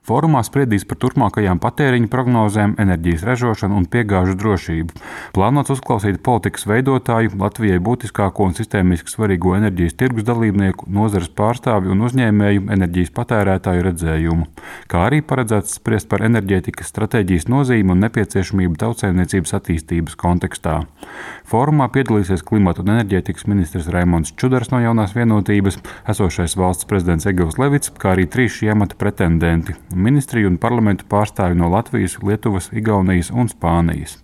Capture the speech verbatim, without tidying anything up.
Fórumā spriedīs par turpmākajām patēriņa prognozēm, enerģijas ražošanu un piegāžu drošību. Plānots uzklausīt politikas veidotāju, Latvijai būtiskāko un sistēmiski svarīgo enerģijas tirgus dalībnieku, nozares pārstāvju un uzņēmēju enerģijas patērētāju redzējumu, kā arī paredzēts spriest par enerģētikas stratēģijas nozīmi un nepieciešamību tautsaimniecības attīstības kontekstā. Fórumā piedalīsies klimata un enerģētikas ministrs Raimonds Čudars no Jaunās vienotības, esošais valsts prezidents Egils Levits, kā arī trīs šī amata pretendenti – ministriju un parlamentu pārstāvji no Latvijas, Lietuvas, Igaunijas un Spānijas.